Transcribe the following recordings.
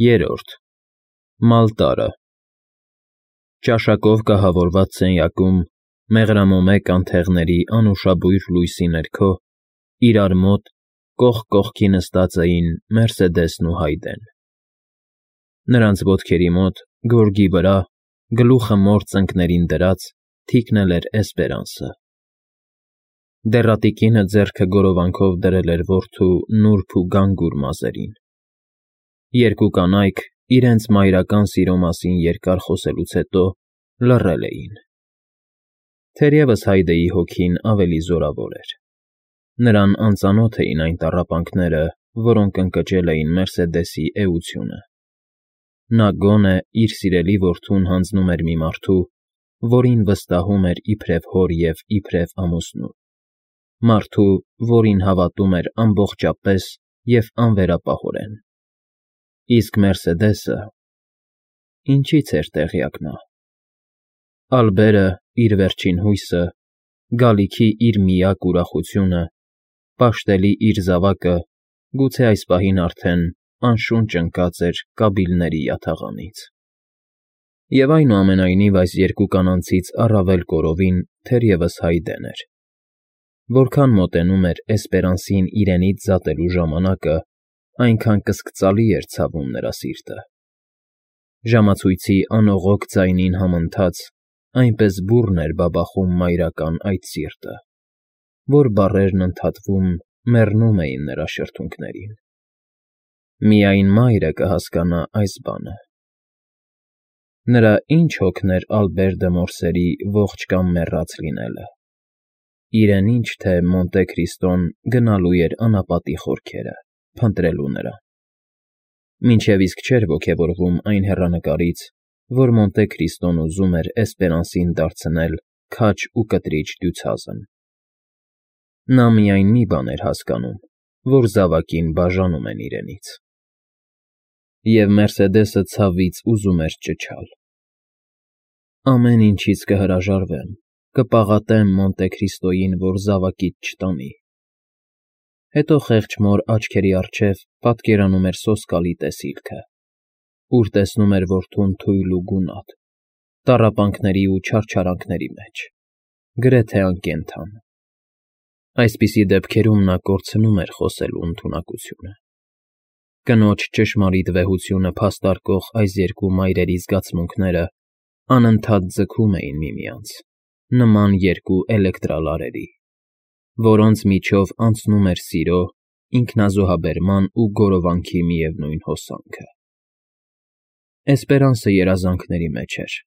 Երրորդ Մալտարը Ճաշակով կահավորված սենյակում, մեղրամոմե կանթեղների անուշաբույր լույսի ներքո, իրար մոտ կողք կողքի նստած էին Մերսեդեսն ու Հայդեն. նրանց ոտքերի մոտ, գորգի վրա, գլուխը մոր ծնկներին դրած, թիկնել էր Էսպերանսը. դեռատի կինը ձեռքը գորովանքով դրել էր որդու նուրբ ու գանգուր մազերին. երկու կանայք իրենց մայրական սիրո մասին երկար խոսելուց հետո լռել էին. թերևս Հայդեի հոգին ավելի զորավոր էր. նրան անծանոթ էին այն տառապանքները, որոնք ընկճել էին Մերսեդեսի էությունը. նա գոնե իր սիրելի որդուն հանձնում էր մի մարդու, որին վստահում էր իբրև հոր և իբրև ամուսնու, մարդու, որին հավատում էր ամբողջապես և անվերապահորեն. իսկ Մերսեդեսը… ինչի՞ց էր տեղյակ նա… Ալբերը, իր վերջին հույսը, գալիքի իր միակ ուրախությունը, պաշտելի իր զավակը գուցե այս պահին արդեն անշունչ ընկած էր կաբիլների յաթաղանից… Եվ այնուամենայնիվ այս երկու կանանցից առավել կորովին թերևս Հայդեն էր. որքան մոտենում էր Էսպերանսին իրենից զատելու ժամանակը, այնքան կսկծալի էր ցավում նրա սիրտը. ժամացույցի անողոք ձայնին համընթաց, այնպես բուռն էր բաբախում մայրական այդ սիրտը, որ բառերն ընդհատվում, մեռնում էին նրա շրթունքներին… Միայն մայրը կհասկանա այս բանը… Նրա ի՞նչ հոգներ Ալբեր դը Մորսերի ողջ կամ մեռած լինելը… իրեն ինչ թե Մոնտե Քրիստոն գնալու էր անապատի խորքերը, փնտրելու նրան… Մինչև իսկ չէր ոգևորվում այն հեռանկարից, որ Մոնտե Քրիստոն ուզում էր Էսպերանսին դարձնել քաջ ու կտրիջ դյուցազն… Նա միայն մի բան էր հասկանում, որ զավակին բաժանում են իրենից… Եվ Մերսեդեսը ցավից ուզում էր ճչալ. ամեն ինչից կհրաժարվեմ, կպաղատեմ Մոնտե Քրիստոյին, որ զավակիդ չտանի… Հետո խեղճ մոր աչքերի առջև պատկերանում էր սոսկալի տեսիլքը, ուր տեսնում էր որդուն թույլ ու գունատ, տառապանքների ու չարչարանքների մեջ, գրեթե անկենդան… Այսպիսի դեպքերում նա կորցնում էր խոսելու ընդունակությունը… Կնոջ ճշմարիտ վեհությունը փաստարկող այս երկու մայրերի զգացմունքները անընդհատ ձգում էին միմյանց, նման երկու էլեկտրալարերի, որոնց միջով անցնում էր սիրո, ինքնազոհաբերման ու գորովանքի միևնույն հոսանքը… Էսպերանսը երազանքների մեջ էր…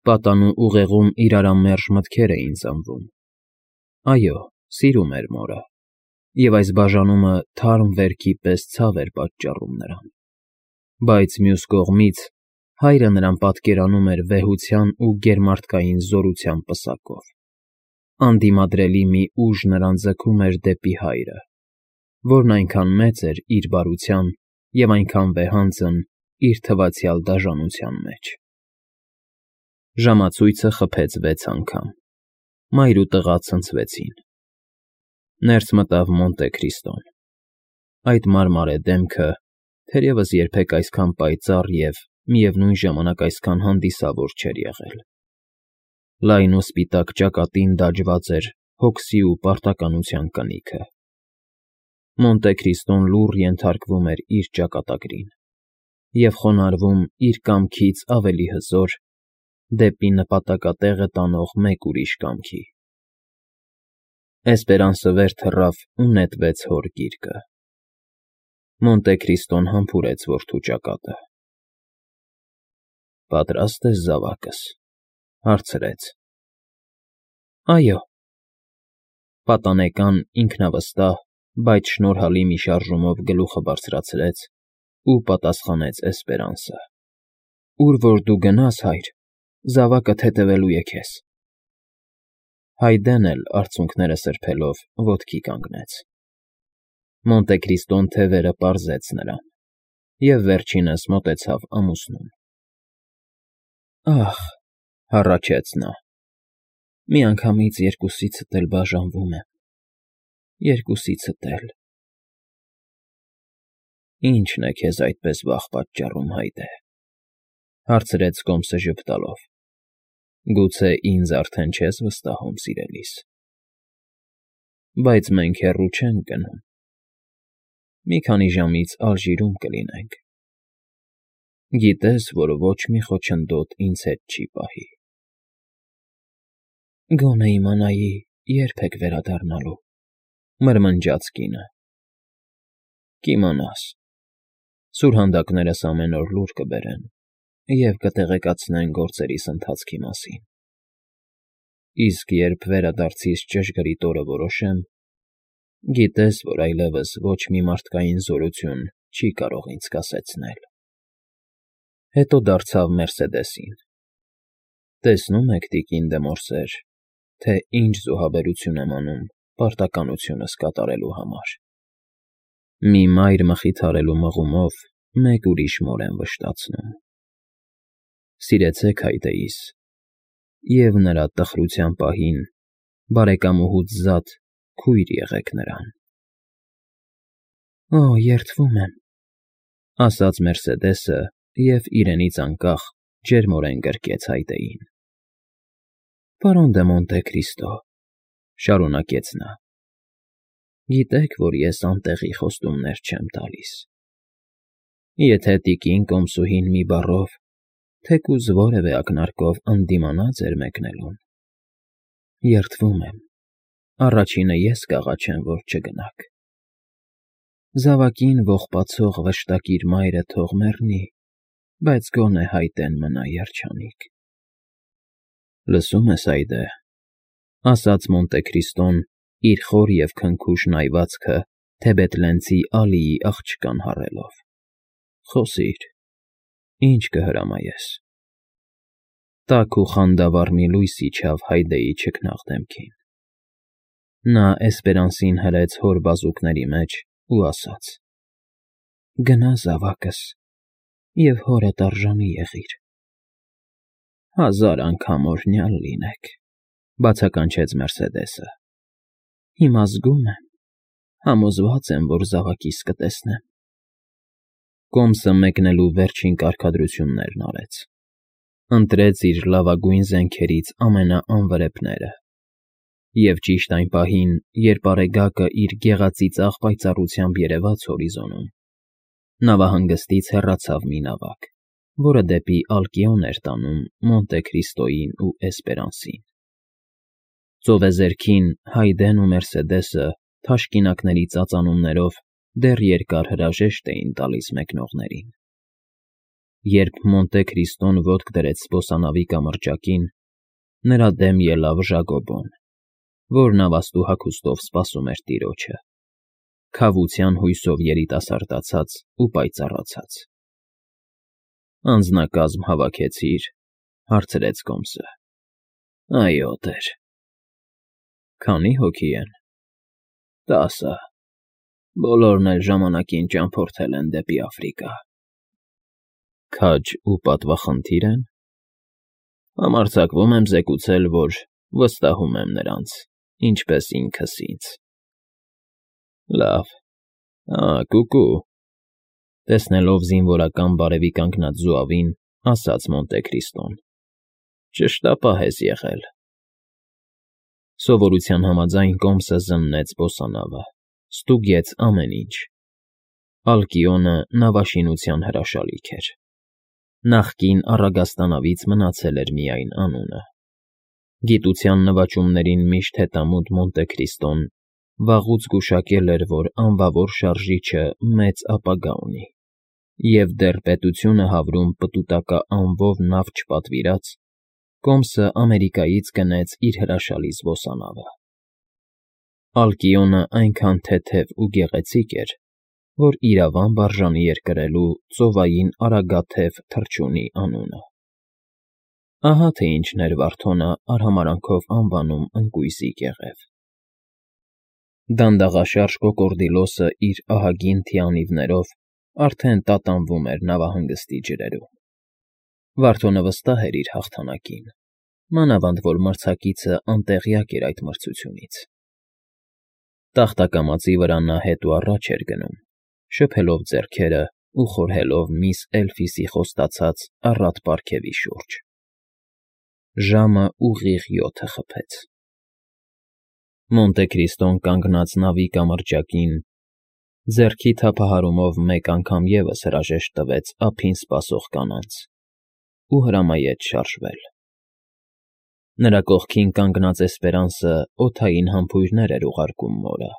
Պատանու ուղեղում իրարամերժ մտքեր էին ծնվում… Այո, սիրում էր մորը, և այս բաժանումը թարմ վերքի պես ցավ էր պատճառում նրան… Բայց մյուս կողմից, հայրը նրան պատկերանում էր վեհության ու գերմարդկային զորության պսակով… Անդիմադրելի մի ուժ նրան ձգում էր դեպի հայրը, որն այնքան մեծ էր իր բարության և այնքան վեհանձն իր թվացյալ դաժանության մեջ… Ժամացույցը խփեց 6 անգամ, մայր ու տղա ցնցվեցին… Ներս մտավ Մոնտե Քրիստոն… Այդ մարմարե դեմքը թերևս երբեք այսքան պայծառ և, միևնույն ժամանակ, այսքան հանդիսավոր չէր եղել… Լայն ու սպիտակ ճակատին դաջված էր հոգսի ու պարտականության կնիքը… Մոնտե Քրիստոն լուռ ենթարկվում էր իր ճակատագրին և խոնարհվում իր կամքից ավելի հզոր, դեպի նպատակատեղը տանող մեկ ուրիշ կամքի… Էսպերանսը վեր թռավ ու նետվեց հոր գիրկը… Մոնտե Քրիստոն համբուրեց որդու ճակատը… ֊ Պատրա՞ստ ես, զավակս,֊ հարցրեց։ ֊ Այո… Պատանեկան, ինքնավստահ, բայց շնորհալի մի շարժումով գլուխը բարձրացրեց ու պատասխանեց Էսպերանսը. Ուր որ դու գնաս, հայր, զավակդ հետևելու է քեզ… Հայդեն էլ, արցունքները սրբելով, ոտքի կանգնեց… Մոնտե Քրիստոն թևերը պարզեց նրան և վերջինս մոտեցավ ամուսնուն… Ա՜խ,֊ հառաչեց նա,֊ միանգամից երկուսիցդ էլ բաժանվում եմ… Երկուսիցդ էլ… Ի՞նչն է քեզ այդպես վախ պատճառում, Հայդե,֊ հարցրեց Կոմսը ժպտալով։ Գուցե ինձ արդեն չես վստահում, սիրելիս։ Բայց մենք հեռու չենք գնում։ Մի քանի ժամից Ալժիրում կլինենք։ Գիտես, որ ոչ մի խոչընդոտ ինձ հետ չի պահի։ Գոնե իմանայի, երբ եք վերադառնալու,֊ մրմնջաց կինը։ Կիմանաս, սուրհանդակներս ամեն օր լուր կբերեն և կտեղեկացնեն գործերիս ընթացքի մասին։ Իսկ երբ վերադարձիս ճշգրիտ օրը որոշեմ, գիտես, որ այլևս ոչ մի մարդկային զորություն չի կարող ինձ կասեցնել։ Հետո դարձավ Մերսեդեսին. Տեսնում եք, տիկին դե Մորսեր, թե ինչ զոհաբերություն եմ անում պարտականությունս կատարելու համար։ Մի մայր մխիթարելու մղումով մեկ ուրիշ մոր եմ վշտացնում։ Սիրեցեք Հայդեիս, և նրա տխրության պահին բարեկամուհուց զատ քույր եղեք նրան։ Օ, երդվում եմ,֊ ասաց Մերսեդեսը և իրենից անկախ ջերմորեն գրկեց Հայդեին։ Պարոն դե Մոնտե Քրիստո,֊ շարունակեց նա,֊ գիտեք, որ ես անտեղի խոստումներ չեմ տալիս։ Եթե տիկին Կոմսուհին մի բառով, թեկուզ որևէ ակնարկով ընդդիմանա ձեր մեկնելուն, երդվում եմ, առաջինը ես կաղաչեմ, որ չգնաք։ Զավակին ողբացող վշտակիր մայրը թող մեռնի, բայց գոնե Հայդեն մնա երջանիկ։ Լսում ես, Հայդե,֊ ասաց Մոնտե Քրիստոն իր խոր և քնքուշ նայվածքը Թեբետնլենցի Ալիի աղջկան հառելով։ Խոսիր, ինչ կհրամայես։ Տաք ու խանդավառ մի լույս իջավ Հայդեի չքնաղ դեմքին։ Նա Էսպերանսին հրեց հոր բազուկների մեջ ու ասաց. Գնա, զավակս, և հորդ արժանի եղիր։ 1000 անգամ օրհնյալ լինեք,֊ բացականչեց Մերսեդեսը։ Հիմա զգում եմ, համոզված եմ, որ զավակիս կտեսնեմ։ Կոմսը մեկնելու վերջին կարգադրություններն արեց։ Ընտրեց իր լավագույն զենքերից ամենաանվրեպները։ Եվ ճիշտ այն պահին, երբ Արեգակը իր գեղածիծաղ պայծառությամբ երևաց հորիզոնում, նավահանգստից հեռացավ մի նավակ, որը դեպի Ալկիոն էր տանում Մոնտե Քրիստոյին ու Էսպերանսին։ Ծովեզերքին Հայդեն ու Մերսեդեսը թաշկինակների ծածանումներով դեռ երկար հրաժեշտ էին տալիս մեկնողներին։ Երբ Մոնտե Քրիստոն ոտք դրեց զբոսանավի կամրջակին, նրա դեմ ելավ Ժագոբոն, որ նավաստու հագուստով սպասում էր տիրոջը, քավության հույսով երիտասարդացած ու պայծառացած։ Անձնակազմ հավաքեցի՞ր,֊ հարցրեց Կոմսը։ Այո, տեր։ Քանի՞ հոգի են։ 10։ Բոլորն էլ ժամանակին ճամփորդել են դեպի Աֆրիկա։ Քաջ ու պատվախնդի՞ր են։ Համարձակվում եմ զեկուցել, որ վստահում եմ նրանց, ինչպես ինքս ինձ։ Լավ։ Կուկու,֊ տեսնելով զինվորական բարևի կանգնած զուավին, ասաց Մոնտե Քրիստոն։ Ճշտապահ ես եղել։ Սովորության համաձայն Կոմսը զննեց զբոսանավը, ստուգեց ամեն ինչ։ Ալկիոնը նավաշինության հրաշալիք էր։ Նախկին առագաստանավից մնացել էր միայն անունը։ Գիտության նվաճումներին միշտ հետամուտ Մոնտե Քրիստոն վաղուց գուշակել էր, որ անվավոր շարժիչը մեծ ապագա ունի, և դեռ պետությունը հավրում պտուտակա անվով նավ չպատվիրած, Կոմսը Ամերիկայից գնեց իր հրաշալի զբոսանավը։ Ալկիոնը այնքան թեթև ու գեղեցիկ էր, որ իրավամբ արժանի էր կրելու ծովային արագաթև թռչունի անունը։ Ահա թե ինչն էր Վարդոնը արհամարանքով անվանում ընկույզի կեղև։ Դանդաղաշարժ կոկորդիլոսը իր ահագին թիանիվներով արդեն տատանվում էր նավահանգստի ջրերում։ Վարդոնը վստահ էր իր հաղթանակին, մանավանդ որ մրցակիցը անտեղյակ էր այդ մրցությունից։ Տախտակամածի վրա նա հետ ու առաջ էր գնում, շփելով ձեռքերը ու խորհելով միս Էլֆիսի խոստացած առատ պարգևի շուրջ։ Ժամը ուղիղ 7 խփեց։ Մոնտե Քրիստոն կանգնած նավի կամրջակին, ձեռքի թափահարումով մեկ անգամ ևս հրաժեշտ տվեց ափին սպասող կանանց ու հրամայեց շարժվել։ Նրա կողքին կանգնած Էսպերանսը օդային համբույրներ էր ուղարկում մորը։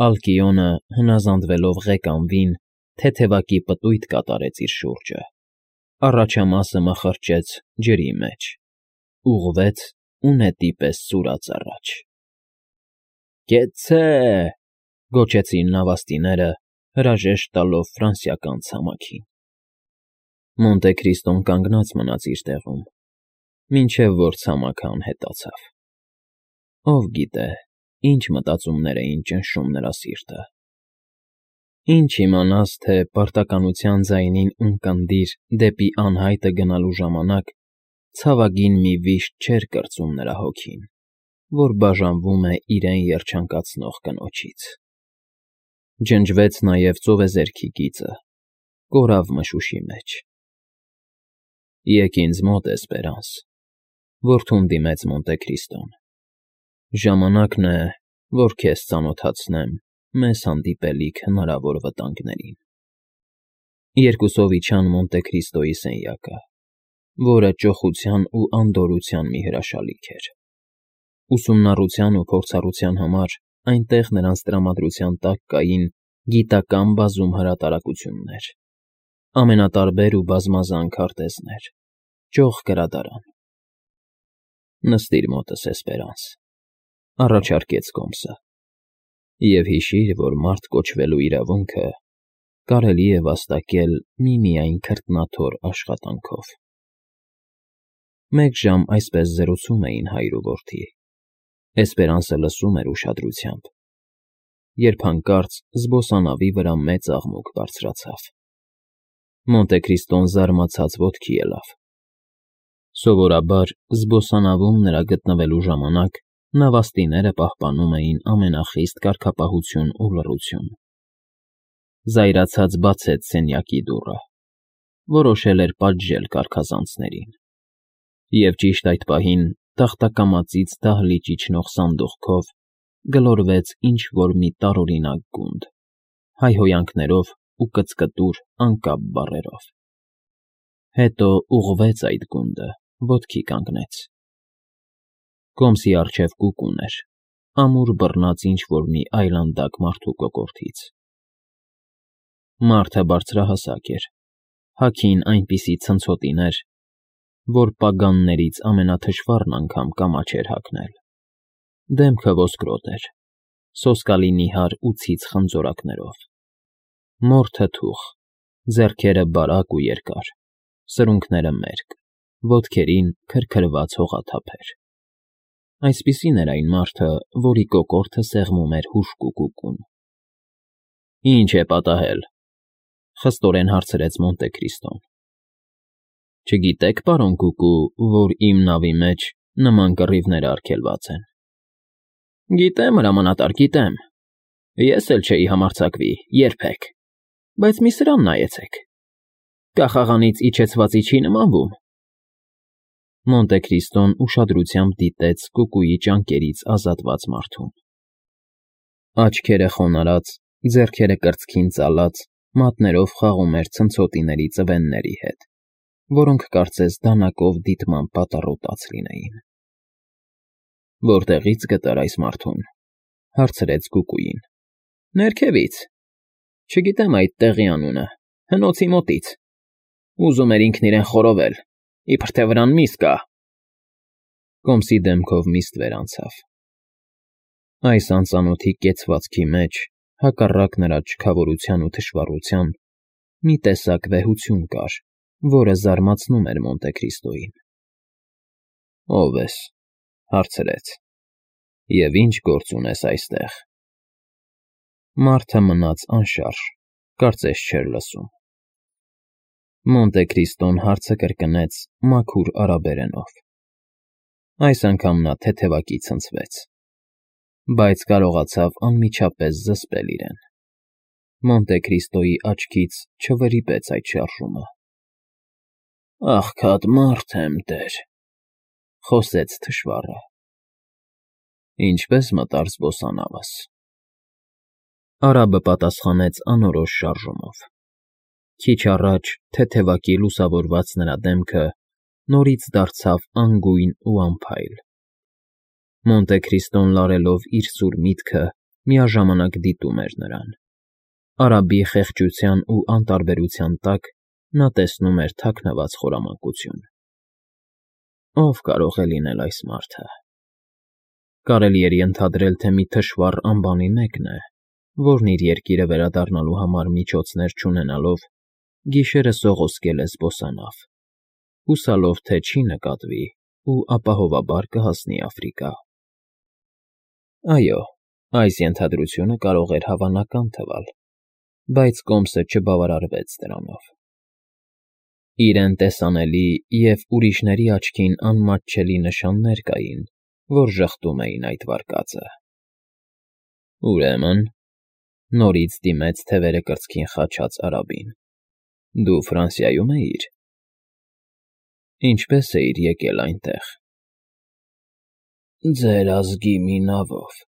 Ալկիոնը, հնազանդվելով ղեկանվին, թեթևակի պտույտ կատարեց իր շուրջը, առաջամասը մխրճեց ջրի մեջ, ուղղվեց ու նետի պես սուրաց առաջ։ «Կեցցե՜» գոչեցին նավաստիները, հրաժեշտ տալով ֆրանսիական ցամաքին։ Մոնտե Քրիստոն կանգնած մնաց իր տեղում, մինչև որ ցամաքը անհետացավ։ Ով գիտե, ինչ մտածումներ էին ճնշում նրա սիրտը։ Ինչ իմանաս, թե պարտականության ձայնին ունկնդիր դեպի անհայտը գնալու ժամանակ ցավագին մի վիշտ չէր կրծում նրա հոգին, որ բաժանվում է իրեն երջանկացնող կնոջից։ Ջնջվեց նաև ծովեզերքի գիծը, կորավ մշուշի մեջ։ «Եկ ինձ մոտ, Էսպերանս», որդուն դիմեց Մոնտե Քրիստոն։ «Ժամանակն է, որ քեզ ծանոթացնեմ մեզ հանդիպելիք հնարավոր վտանգներին»։ Երկուսով իջան Մոնտե Քրիստոյի սենյակը, որը ճոխության ու անդորրության մի հրաշալիք էր։ Ուսումնառության ու փորձառության համար այնտեղ նրանց տրամադրության տակ կային գիտական բազում հրատարակություններ, ամենատարբեր ու բազմազան քարտեզներ, ճոխ գրադարան։ «Նստիր մոտս, Էսպերանս», առաջարկեց Կոմսը, «և հիշիր, որ մարդ կոչվելու իրավունքը կարելի է վաստակել միմիայն քրտնաթոռ աշխատանքով»։ Մեկ ժամ այսպես զրուցում էին հայր ու որդի։ Էսպերանսը լսում էր ուշադրությամբ, երբ հանկարծ զբոսանավի վրա մեծ աղմուկ բարձրացավ։ Մոնտե Քրիստոն զարմացած ոտքի ելավ։ Սովորաբար զբոսանավում նրա գտնվելու ժամանակ նավաստիները պահպանում էին ամենախիստ կարգապահություն ու լռություն։ Զայրացած բացեց սենյակի դուռը, որոշել էր պատժել կարգազանցներին, և ճիշտ այդ պահին տախտակամածից դահլիճ իջնող սանդուղքով գլորվեց ինչ֊որ մի տարօրինակ գունդ, հայհոյանքներով ու կծկտուր անկապ բառերով։ Հետո ուղղվեց այդ գունդը, ոտքի կանգնեց։ Կոմսի առջև կուկուն էր, ամուր բռնած ինչ֊որ մի այլանդակ մարդու կոկորդից։ Մարդը բարձրահասակ էր, հագին այնպիսի ցնցոտիներ, որ պագաններից ամենաթշվառն անգամ կամաչ էր հագնել։ Դեմքը ոսկրոտ էր, սոսկալի նիհար ու ցից խնձորակներով, մորթը թուխ, ձեռքերը բարակ ու երկար, սրունքները մերկ, ոտքերին քրքրված հողաթափեր։ Այսպիսին էր այն մարդը, որի կոկորդը սեղմում էր հուժկու կուկուն։ «Ինչ է պատահել», խստորեն հարցրեց Մոնտե Քրիստոն։ «Չգիտեք, պարոն Կուկու, որ իմ նավի մեջ նման կռիվներ արգելված են»։ «Գիտեմ, հրամանատար, գիտեմ։ Ես էլ չէի համարձակվի, երբեք, բայց մի սրան նայեցեք. կախաղանից իջեցվածի չի նմանվում»։ Մոնտե Քրիստոն ուշադրությամբ դիտեց կուկուի ճանկերից ազատված մարդուն։ Աչքերը խոնարհած, ձեռքերը կրծքին ծալած, մատներով խաղում էր ցնցոտիների ծվենների հետ, որոնք կարծես դանակով դիտմամբ պատառոտած լինեին։ «Որտեղի՞ց գտար այս մարդուն», հարցրեց կուկուին։ «Ներքևից։ Չգիտեմ այդ տեղի անունը, հնոցի մոտից։ Ուզում էր ինքն իրեն խորովել, իբրև թե վրան միս կա»։ Կոմսի դեմքով միստ վերանցավ։ Այս անծանոթի կեցվածքի մեջ, հակառակ նրա չքավորության ու թշվառության, մի տեսակ վեհություն կար, որը զարմացնում էր Մոնտե Քրիստոյին։ «Ո՞վ ես», հարցրեց, «և ինչ գործ ունես այստեղ»։ Մարդը մնաց անշարժ, կարծես չէր լսում։ Մոնտե Քրիստոն հարցը կրկնեց մաքուր արաբերենով։ Այս անգամ նա թեթևակի ցնցվեց, բայց կարողացավ անմիջապես զսպել իրեն։ Մոնտե Քրիստոյի աչքից չվրիպեց այդ շարժումը։ «Աղքատ մարդ եմ, տեր», խոսեց թշվառը։ «Ինչպե՞ս մտար զբոսանավս»։ Արաբը պատասխանեց անորոշ շարժումով։ Քիչ առաջ թեթևակի լուսավորված նրա դեմքը նորից դարձավ անգույն ու անփայլ։ Մոնտե Քրիստոն լարելով իր սուր միտքը միաժամանակ դիտում էր նրան։ Արաբի խեղճության ու անտարբերության տակ նա տեսնում էր թաքնված խորամանկություն։ Ո՞վ կարող է լինել այս մարդը։ Կարելի էր ենթադրել, թե մի թշվառ անբանի մեկն է, որն իր երկիրը վերադառնալու համար միջոցներ չունենալով, գիշերը սողոսկել է զբոսանավ, հուսալով, թե չի նկատվի ու ապահովաբար կհասնի Աֆրիկա։ Այո, այս ենթադրությունը կարող էր հավանական թվալ, բայց կոմսը չբավարարվեց դրանով։ Իրեն տեսանելի և ուրիշների աչքին անմատչելի նշաններ կային, որ ժխտում էին այդ վարկածը։ Ուրեմն, նորից դիմեց թևերը կրծքին խաչած արաբին, դու Ֆրանսիայում էիր։ Ինչպե՞ս էիր եկել այնտեղ։ Ձեր ազգի մի նավով։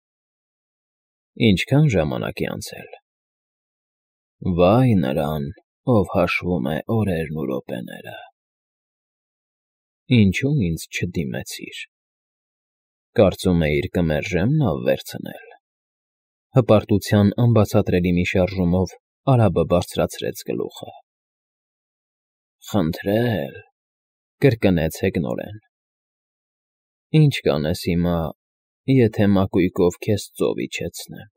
Ինչքան ժամանակ է անցել։ Վայ նրան, ով հաշվում է օրերն ու րոպեները։ Ինչու ինձ չդիմեցիր։ Կարծում էիր կմերժեմ նավ վերցնել։ Հպարտության անբացատրելի մի շարժումով արաբը բարձրացրեց գլուխը։ Խնդրել, կրկնեց հեգնորեն։ Ինչ կանես հիմա, եթե մակույկով քեզ ծով իջեցնեմ։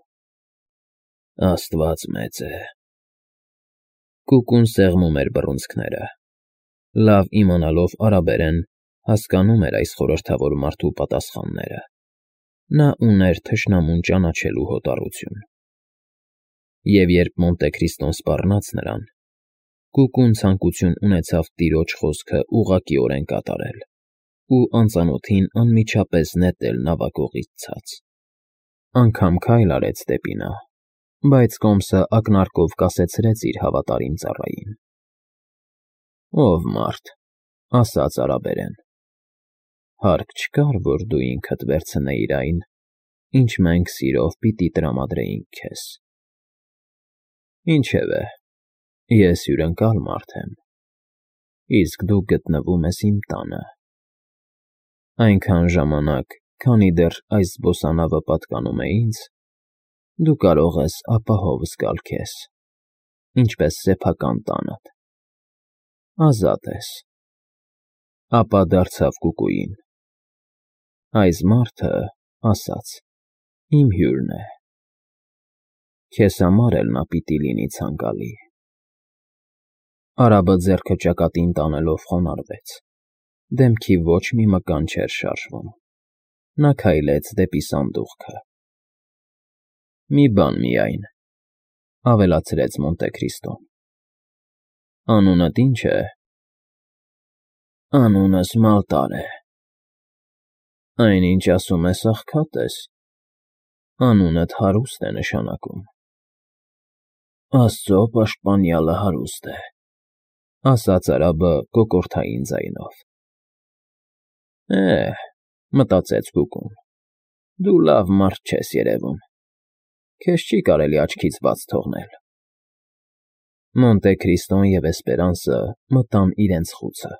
Աստված մեծ է։ Կուկուն սեղմում էր բռունցքները։ Լավ իմանալով արաբերեն, հասկանում էր այս խորհրդավոր մարդու պատասխանները։ Նա ուներ թշնամուն ճանաչելու հոտառություն։ Եվ երբ Մոնտե Քրիստոն սպառնաց նրան, Կուկուն ցանկություն ունեցավ տիրոջ խոսքը ուղղակիորեն կատարել ու անծանոթին անմիջապես նետել նավակողից ցած։ Անգամ քայլ արեց դեպի նա, բայց կոմսը ակնարկով կասեցրեց իր հավատարիմ ծառային։ Ով մարդ, ասաց արաբերեն, հարկ չկար, որ դու ինքդ վերցնեիր այն, ինչ մենք սիրով պիտի տրամադրեինք քեզ։ Ինչևէ, ես հյուրընկալ մարդ եմ, իսկ դու գտնվում ես իմ տանը։ Այնքան ժամանակ, քանի դեռ այս զբոսանավը պատկանում է ինձ, դու կարող ես ապահով զգալ քեզ, ինչպես սեփական տանդ։ Ազատ ես։ Ապա դարձավ Կուկուին. այս մարդը, ասաց, իմ հյուրն է։ Քեզ համար էլ նա պիտի լինի ցանկալի։ Արաբը ձեռքը ճակատին տանելով խոնարհվեց։ Դեմքի ոչ մի մկան չէր շարժվում։ Նա քայլեց դեպի սանդուղքը։ Մի բան միայն, ավելացրեց Մոնտե Քրիստոն։ Անունդ ի՞նչ է։ Անունս Մալտար է։ Այնինչ ասում ես աղքատ ես։ Անունդ հարուստ է նշանակում։ Աստծո պաշտպանյալը հարուստ է, ասաց արաբը կոկորդային ձայնով։ Մտածեց Կուկուն, դու լավ մարդ չես երևում։ Քեզ չի կարելի աչքից բաց թողնել։ Մոնտե Քրիստոն և Էսպերանսը մտան իրենց խուցը։